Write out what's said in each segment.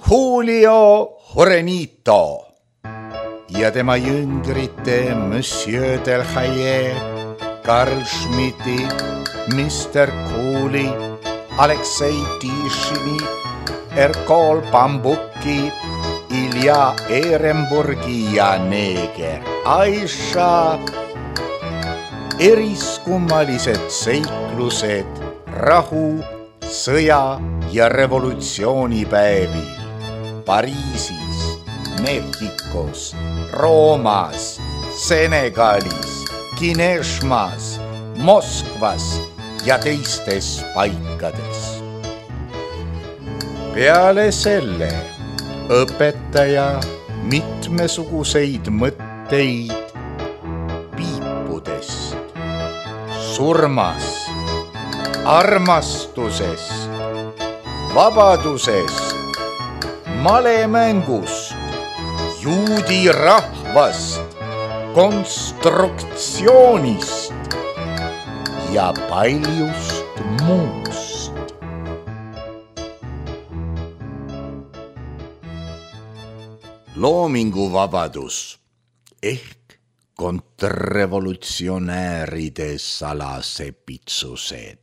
Julio Jurenito ja tema jüngrite Monsieur Delhaye, Karl Schmidti, Mr. Cooley, Aleksei Tišini, Erkol Bambuki, Ilja Ehrenburgi ja neeger Aisha. Eriskummalised seiklused rahu, sõja ja revolutsioonipäevil Pariisis, Mehhikos, Roomas, Senegalis, Kineshmas, Moskvas ja teistes paikades. Peale selle õpetaja mitmesuguseid mõtteid piipudest, surmast, armastusest, vabadusest, malemängust, juudi rahvast, konstruktsioonist ja paljust muust. Loominguvabadus ehk kontrrevolutsionääride salasepitsused.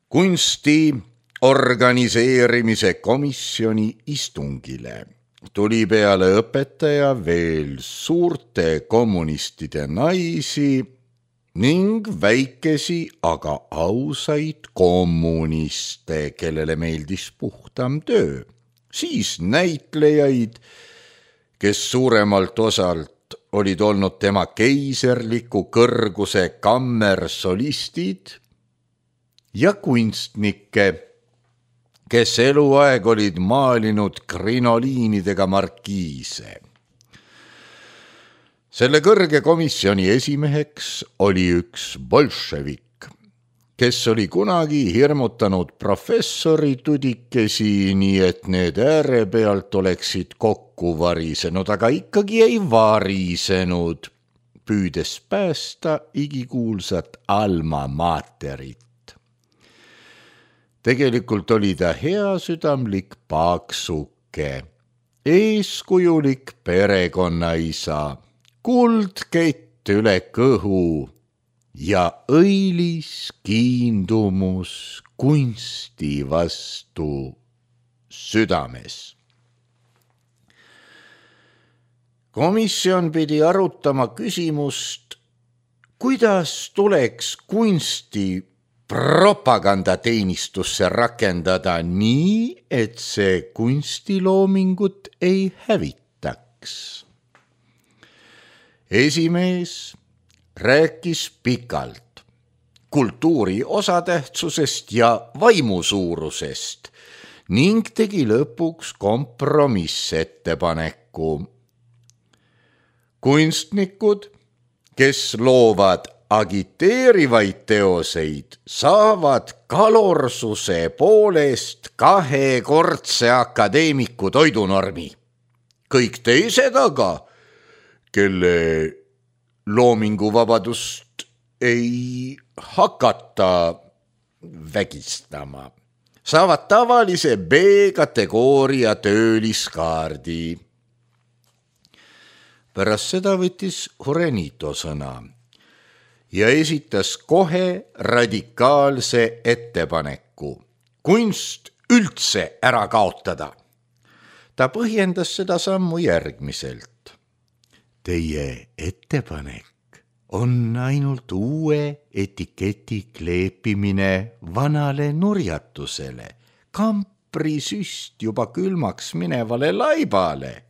Kunsti organiseerimise komisjoni istungile tuli peale õpetaja veel suurte kommunistide naisi ning väikesi, aga ausaid kommuniste, kellele meeldis puhtam töö. Siis näitlejaid, kes suuremalt osalt olid olnud tema keiserliku kõrguse kammersolistid ja kunstnikke, kes eluaeg olid maalinud krinoliinidega markiise. Selle kõrge komisjoni esimeheks oli üks bolševik, kes oli kunagi hirmutanud professori tudikesi, nii et need ääre pealt oleksid kokku varisenud, aga ikkagi ei varisenud, püüdes päästa igikuulsat alma materit. Tegelikult oli ta heasüdamlik paaksuke, eeskujulik perekonnaisa, kuldkett üle kõhu ja õilis kiindumus kunsti vastu südames. Komisjon pidi arutama küsimust, kuidas tuleks kunsti propagandateenistusse rakendada nii, et see kunstiloomingut ei hävitaks. Esimees rääkis pikalt kultuuri osatähtsusest ja vaimusuurusest ning tegi lõpuks kompromissettepaneku. Kunstnikud, kes loovad agiteerivaid teoseid, saavad kalorsuse poolest 2-kordse akadeemiku toidunormi. Kõik teised aga, kelle loominguvabadust ei hakata vägistama, saavad tavalise B-kategooria tööliskaardi. Pärast seda võttis Jurenito sõna ja esitas kohe radikaalse ettepaneku kunst üldse ära kaotada. Ta põhjendas seda sammu järgmiselt. Teie ettepanek on ainult uue etiketi kleepimine vanale nurjatusele, kamprisüst juba külmaks minevale laibale.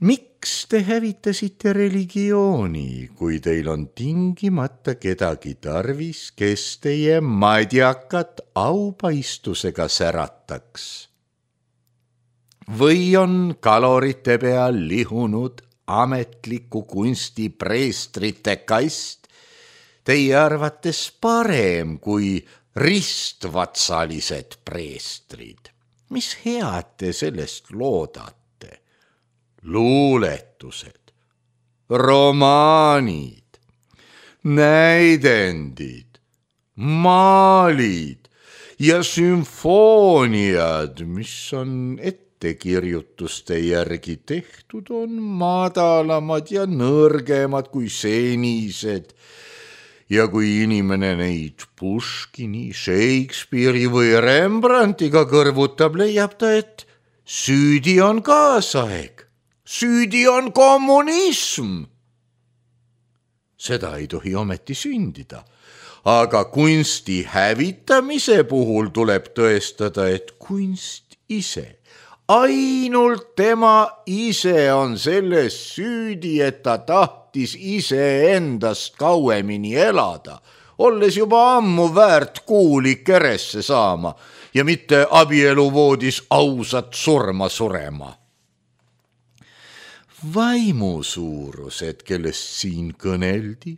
Miks te hävitasite religiooni, kui teil on tingimata kedagi tarvis, kes teie madjakat aupaistusega särataks? Või on kalorite peal lihunud ametliku kunsti preestrite kast teie arvates parem kui ristvatsalised preestrid? Mis head te sellest loodate? Luuletused, romaanid, näidendid, maalid ja sümfooniad, mis on ettekirjutuste järgi tehtud, on madalamad ja nõrgemad kui senised. Ja kui inimene neid Puškini, Shakespeare'i või Rembrandtiga kõrvutab, leiab ta, et süüdi on kaasaeg, süüdi on kommunism. Seda ei tohi ometi sündida, aga kunsti hävitamise puhul tuleb tõestada, et kunst ise, ainult tema ise on selles süüdi, et ta tahtis iseendast kauemini elada, olles juba ammu väärt kuuli keresse saama ja mitte abieluvoodis ausat surma surema. Vaimusuurused, kellest siin kõneldi,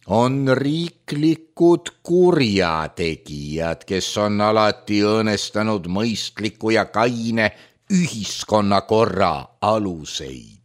on riiklikud kurjategijad, kes on alati õõnestanud mõistliku ja kaine ühiskonnakorra aluseid.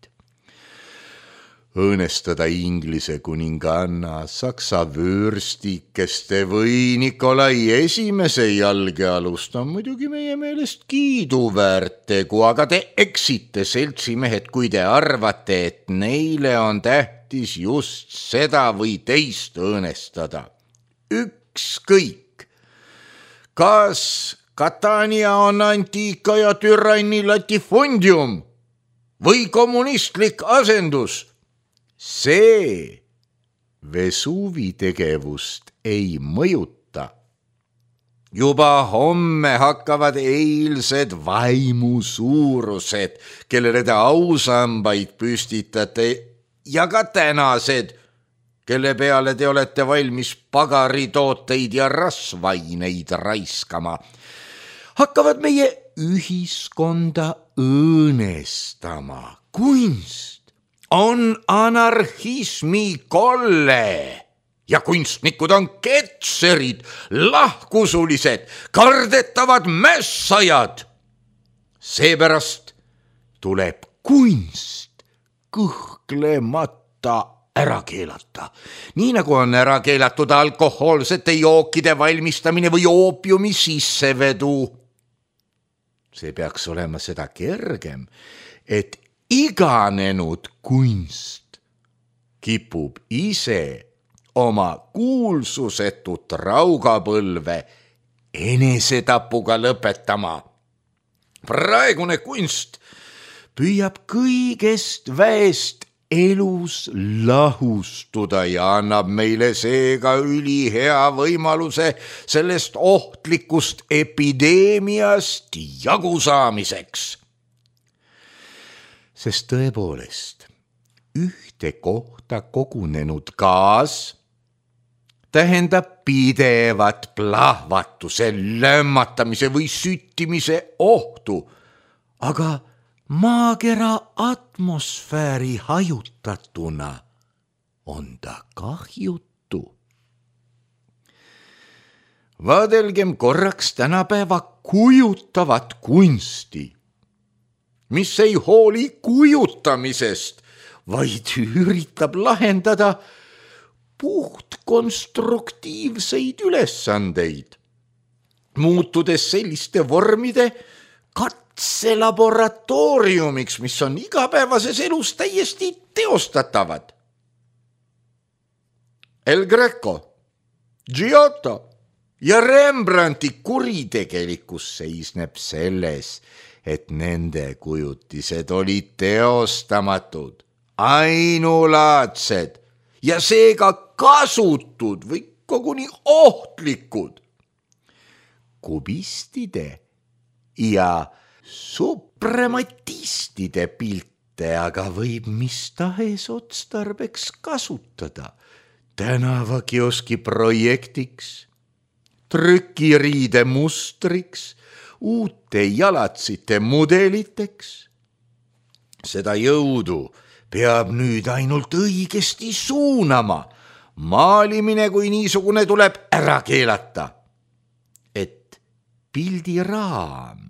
Õõnestada Inglise kuninganna, Saksa vöörstikeste või Nikolai esimese jalgealust on muidugi meie meelest kiiduväärt tegu, aga te eksite, seltsimehed, kui te arvate, et neile on tähtis just seda või teist õõnestada. Ükskõik, kas Catania on antiika ja türanni latifundium või kommunistlik asendus, see Vesuvi tegevust ei mõjuta. Juba homme hakkavad eilsed vaimusuurused, kellele te ausambaid püstitate, ja ka tänased, kelle peale te olete valmis pagaritooteid ja rasvaineid raiskama, hakkavad meie ühiskonda õõnestama. Kunst on anarhismi kolle ja kunstnikud on ketserid, lahkusulised, kardetavad mässajad. Seepärast tuleb kunst kõhklemata ära keelata, nii nagu on ära keelatud alkohoolsete jookide valmistamine või oopiumi sissevedu. See peaks olema seda kergem, et iganenud kunst kipub ise oma kuulsusetut raugapõlve enesetapuga lõpetama. Praegune kunst püüab kõigest väest elus lahustuda ja annab meile seega ülihea võimaluse sellest ohtlikust epideemiast jagu saamiseks. Sest tõepoolest, ühte kohta kogunenud gaas tähendab pidevat plahvatuse, lämmatamise või süttimise ohtu, aga maakera atmosfääri hajutatuna on ta kahjutu. Vaadelgem korraks tänapäeva kujutavat kunsti, mis ei hooli kujutamisest, vaid üritab lahendada puhtkonstruktiivseid ülesandeid, muutudes selliste vormide katselaboratooriumiks, mis on igapäevases elus täiesti teostatavad. El Greco, Giotto ja Rembrandti kuritegelikkus seisneb selles, et nende kujutised olid teostamatud, ainulaadsed ja seega kasutud või koguni ohtlikud. Kubistide ja suprematistide pilte aga võib mis tahes otstarbeks kasutada, tänavakioski projektiks, trükiriide mustriks, uute jalatsite mudeliteks. Seda jõudu peab nüüd ainult õigesti suunama. Maalimine kui niisugune tuleb ära keelata, et pildiraam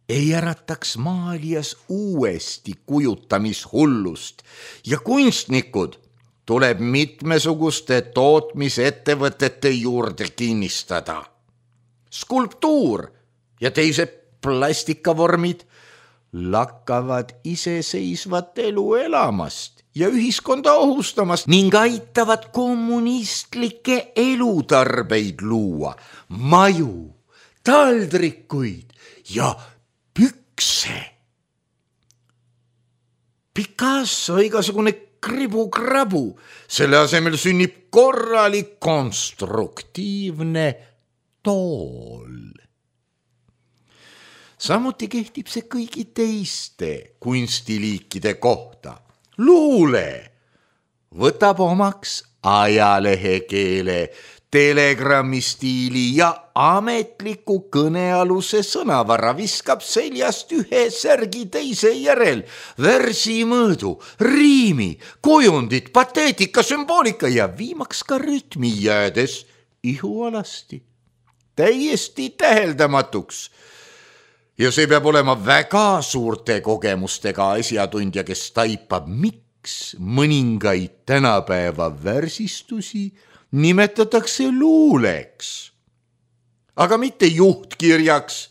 ei ärataks maalijas uuesti kujutamishullust ja kunstnikud tuleb mitmesuguste tootmisettevõtete juurde kinnistada. skulptuur ja teised plastikavormid lakkavad iseseisvat elu elamast ja ühiskonda ohustamast ning aitavad kommunistlikke elutarbeid luua, maju, taldrikuid ja pükse. Picasso igasugune kribu-krabu, selle asemel sünnib korralik konstruktiivne tool. Samuti kehtib see kõigi teiste kunstiliikide kohta. Luule võtab omaks ajalehekeele, telegrammi stiili ja ametliku kõnealuse sõnavara, viskab seljast ühe särgi teise järel, versimõõdu, riimi, kujundit, pateetika, sümboolika ja viimaks ka rütmi jäädes ihualasti. Täiesti täheldamatuks. Ja see peab olema väga suurte kogemustega asjatundja, kes taipab, miks mõningaid tänapäeva värsistusi nimetatakse luuleks, aga mitte juhtkirjaks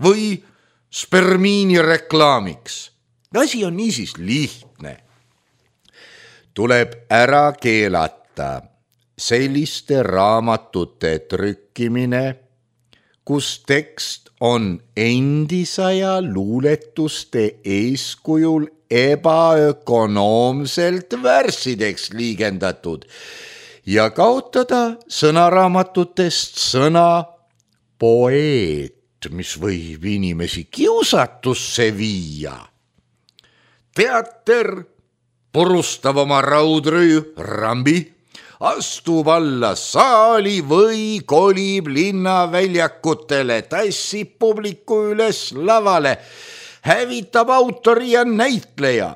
või spermiini reklaamiks. Asi on niisiis lihtne. Tuleb ära keelata selliste raamatute trükkimine, kus tekst on endisaja luuletuste eeskujul ebaökonoomselt värssideks liigendatud ja kaotada sõnaraamatutest sõna poeet, mis võib inimesi kiusatusse viia. Teater purustab oma raudrüü rambi, astub alla saali või kolib linnaväljakutele, tassib publiku üles lavale, hävitab autori ja näitleja.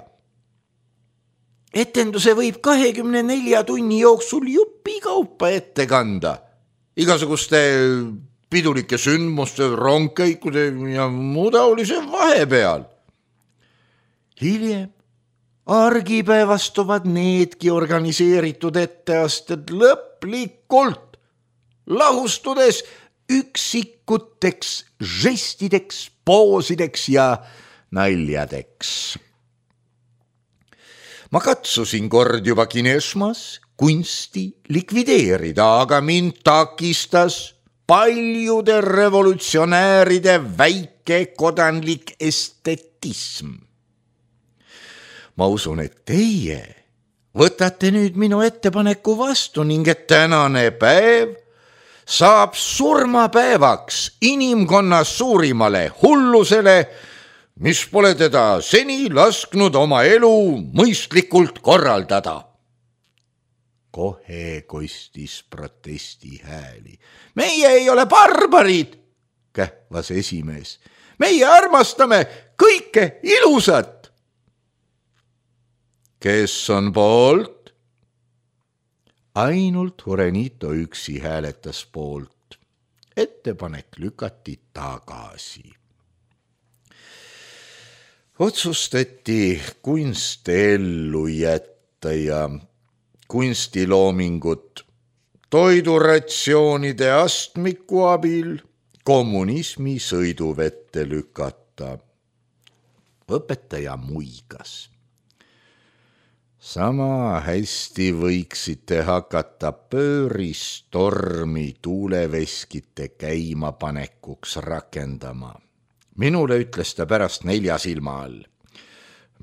Etenduse võib 24 tunni jooksul jupikaupa ette kanda. Igasuguste pidulike sündmuste, rongkäikude ja muu taolise vahepeal. Hiljem argipäevastuvad needki organiseeritud etteasted lõplikult, lahustudes üksikuteks žestideks, poosideks ja naljadeks. Ma katsusin kord juba Kinesmas kunsti likvideerida, aga mind takistas paljude revolutsionääride väike kodanlik estetism. Ma usun, et teie võtate nüüd minu ettepaneku vastu ning et tänane päev saab surmapäevaks inimkonna suurimale hullusele, mis pole teda seni lasknud oma elu mõistlikult korraldada. Kohe kostis protesti hääli. Meie ei ole barbarid, kähvas esimees. Meie armastame kõike ilusat. Kes on poolt? Ainult Jurenito üksi hääletas poolt. Ettepanek lükati tagasi. Otsustati kunst ellu jätta ja kunstiloomingut toiduratsioonide astmiku abil kommunismi sõiduvette lükata. Õpetaja muigas. Sama hästi võiksite hakata pööristormi tuuleveskite käimapanekuks rakendama. Minule ütles ta pärast 4 silma all.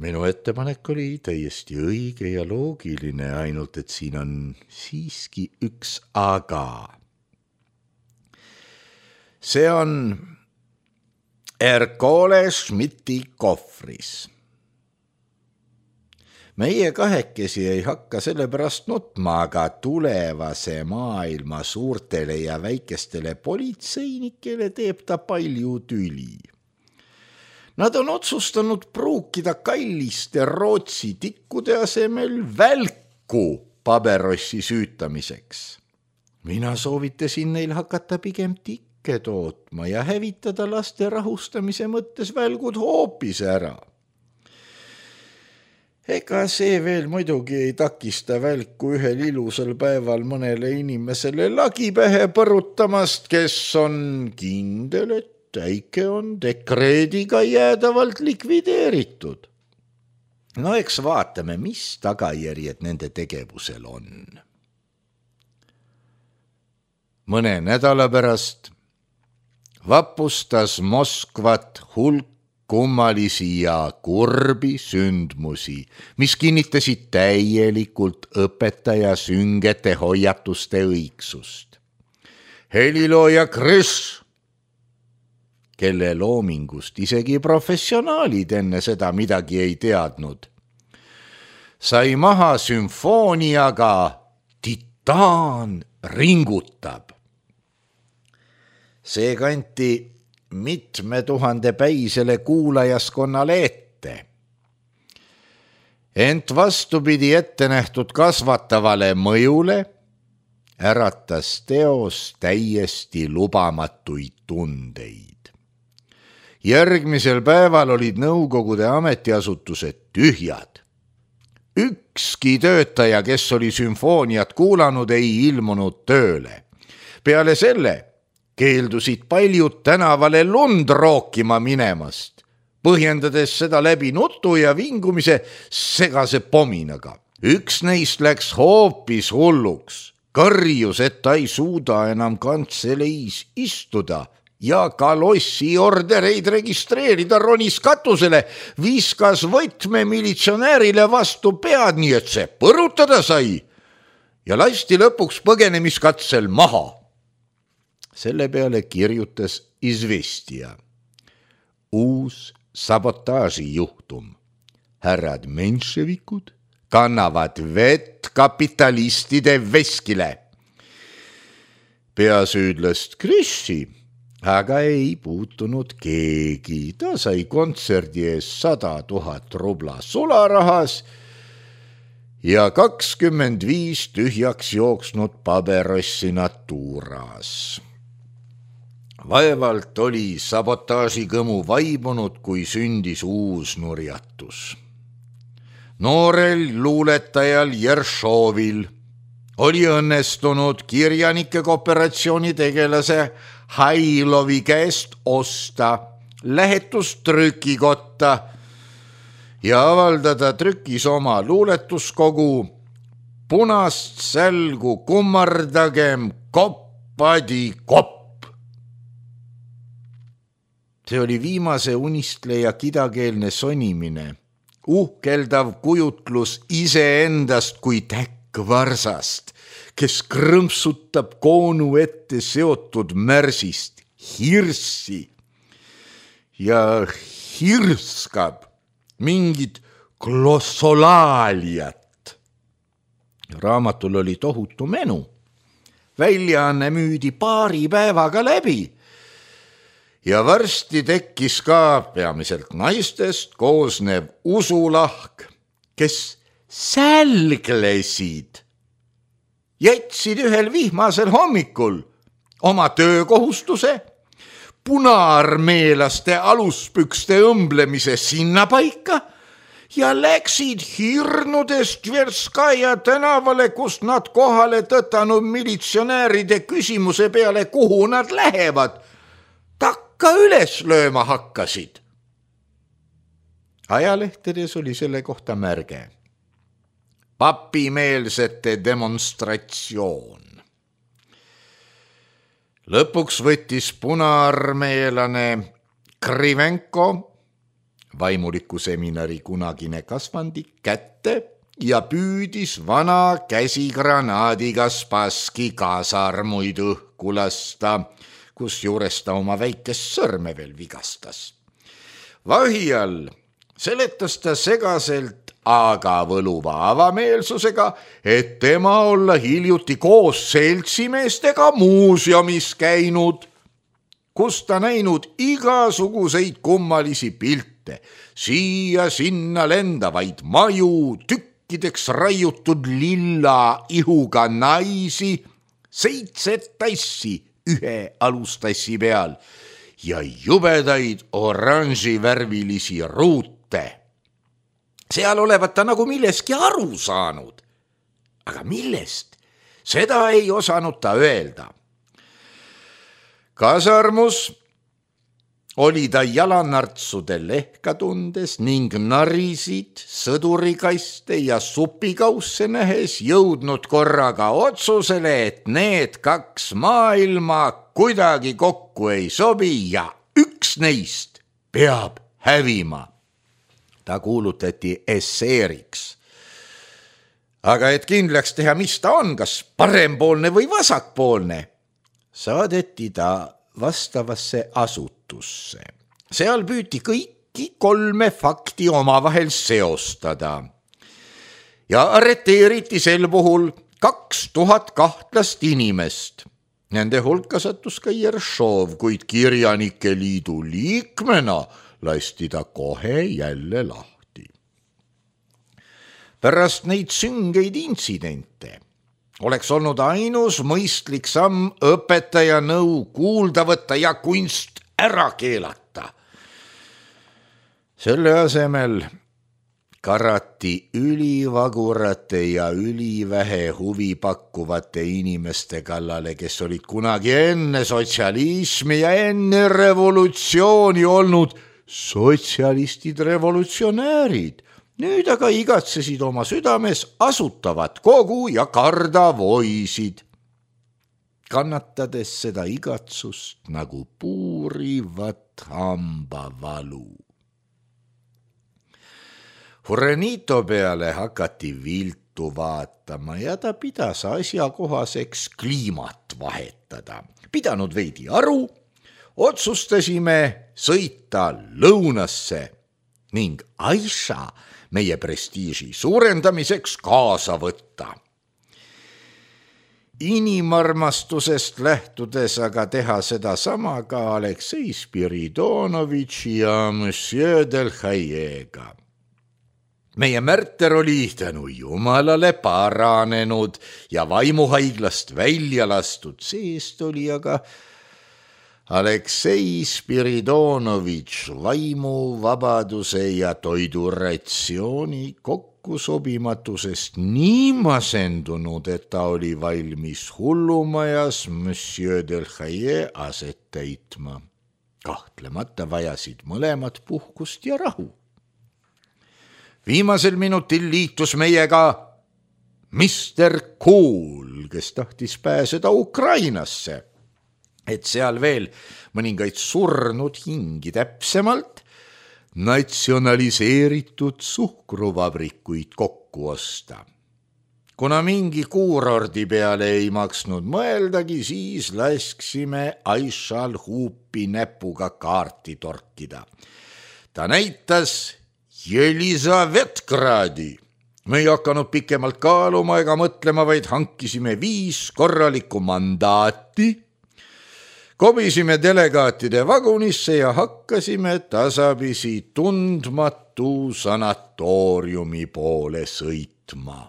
Minu ettepanek oli täiesti õige ja loogiline, ainult et siin on siiski üks aga. See on Ercole Schmidti kohvris. Meie kahekesi ei hakka selle pärast nutma, aga tulevase maailma suurtele ja väikestele politseinikele teeb ta palju tüli. Nad on otsustanud pruukida kalliste Rootsi tikkude asemel välku paberossi süütamiseks. Mina soovitasin neil hakata pigem tikke tootma ja hävitada laste rahustamise mõttes välgud hoopis ära. Ega see veel muidugi ei takista välku ühel ilusal päeval mõnele inimesele lagi pähe põrutamast, kes on kindel, et äike on dekreediga jäädavalt likvideeritud. No eks vaatame, mis tagajärjed nende tegevusel on. Mõne nädala pärast vapustas Moskvat hulk kummalisi ja kurbi sündmusi, mis kinnitasid täielikult õpetaja süngete hoiatuste õigsust. Helilooja Krõš, kelle loomingust isegi professionaalid enne seda midagi ei teadnud, sai maha sümfooniaga Titaan ringutab. See kanti mitme tuhande päisele kuulajaskonnale ette. Ent vastupidi ette nähtud kasvatavale mõjule äratas teos täiesti lubamatuid tundeid. Järgmisel päeval olid nõukogude ametiasutused tühjad. Ükski töötaja, kes oli sümfooniat kuulanud, ei ilmunud tööle. Peale selle keeldusid paljud tänavale lund rookima minemast, põhjendades seda läbi nutu ja vingumise segase pominaga. Üks neist läks hoopis hulluks, karjus, et ta ei suuda enam kantseleis istuda ja kalossi ordereid registreerida, ronis katusele, viskas võtme militsionäärile vastu pead, nii et see põrutada sai ja lasti lõpuks põgenemiskatsel maha. Selle peale kirjutas Izvestija. Uus sabotaažijuhtum. Härrad menševikud kannavad vett kapitalistide veskile. Peasüüdlast Krõši aga ei puutunud keegi. Ta sai kontserdi ees 100 000 rubla sularahas ja 25 tühjaks jooksnud paberossi natuuras. Vaevalt oli sabotaažikõmu vaibunud, kui sündis uus nurjatus. Noorel luuletajal Jeršovil oli õnnestunud kirjanike kooperatsiooni tegelase Hailovi käest osta lähetustrükikotta ja avaldada trükis oma luuletuskogu Punast sälgu kummardagem koppadi kopp. See oli viimase unistleja kidakeelne sonimine, uhkeldav kujutlus iseendast kui täkkvarsast, kes krõmpsutab koonu ette seotud märsist hirssi ja hirskab mingit glossolaaliat. Raamatul oli tohutu menu. Väljaanne müüdi paari päevaga läbi. Ja varsti tekkis ka peamiselt naistest koosnev usulahk, kes sälglesid, jätsid ühel vihmasel hommikul oma töökohustuse, punaarmeelaste aluspükste õmblemise sinnapaika ja läksid hirnudes Tverskaja tänavale, kus nad kohale tõtanud militsionääride küsimuse peale, kuhu nad lähevad, takka üles lööma hakkasid. Ajalehtedes oli selle kohta märge. Papimeelsete demonstratsioon. Lõpuks võttis punaarmeelane Krivenko, vaimuliku seminari kunagine kasvandik, kätte ja püüdis vana käsigranaadiga Spasski kaasarmuid õhku lasta, kusjuures ta oma väikest sõrme veel vigastas. Vahi all seletas ta segaselt, aga võluva avameelsusega, et tema olla hiljuti koos seltsimeestega muuseumis käinud, kus ta näinud igasuguseid kummalisi pilte, siia-sinna lendavaid maju, tükkideks raiutud lilla ihuga naisi, 7 tassi ühe alustassi peal ja jubedaid oranživärvilisi ruute. seal olevat ta nagu milleski aru saanud. Aga millest? Seda ei osanud ta öelda. Kasarmus oli ta jalanartsudel lehka tundes ning narisid, sõdurikaste ja supikausse nähes jõudnud korraga otsusele, et need kaks maailma kuidagi kokku ei sobi ja üks neist peab hävima. Ta kuulutati esseeriks. Aga et kindlaks teha, mis ta on, kas parempoolne või vasakpoolne, saadeti ta vastavasse asutusse. Seal püüti kõiki 3 fakti omavahel seostada. Ja arreteeriti sel puhul 2000 kahtlast inimest. Nende hulka sattus ka Jeršov, kuid kirjanike liidu liikmena lasti ta kohe jälle lahti. Pärast neid süngeid intsidente oleks olnud ainus mõistlik samm õpetaja nõu kuulda võtta ja kunst ära keelata. Selle asemel karati ülivagurate ja ülivähe huvi pakkuvate inimeste kallale, kes olid kunagi enne sotsialismi ja enne revolutsiooni olnud sotsialistid revolutsionäärid. Nüüd aga igatsesid oma südames asutavat kogu ja karda voisid, kannatades seda igatsust nagu puurivat hambavalu. Furenito peale hakati viltu vaatama ja ta pidas asjakohaseks kliimat vahetada. Pidanud veidi aru, otsustasime sõita lõunasse ning Aisha meie prestiiži suurendamiseks kaasa võtta. Inimarmastusest lähtudes aga teha seda sama ka Aleksei Spiridonovitši ja Monsieur Delhaiega. Meie Märter oli tänu jumalale paranenud ja vaimuhaiglast välja lastud, seest oli aga Aleksei Spiridonovitš vaimuvabaduse ja toiduratsiooni kokkusobimatusest nii masendunud, et ta oli valmis hullumajas Monsieur Delhaie aset täitma. Kahtlemata vajasid mõlemad puhkust ja rahu. Viimasel minutil liitus meiega Mr. Kool, kes tahtis pääseda Ukrainasse, et seal veel mõningaid surnud hingi, täpsemalt natsionaliseeritud suhkruvabrikuid kokku osta. Kuna mingi kuurordi peale ei maksnud mõeldagi, siis lasksime Aishal huupi näpuga kaarti torkida. Ta näitas Jelisavetgradi. Me ei hakanud pikemalt kaaluma ega mõtlema, vaid hankisime 5 korralikku mandaati, kobisime delegaatide vagunisse ja hakkasime tasapisi tundmatu sanatooriumi poole sõitma.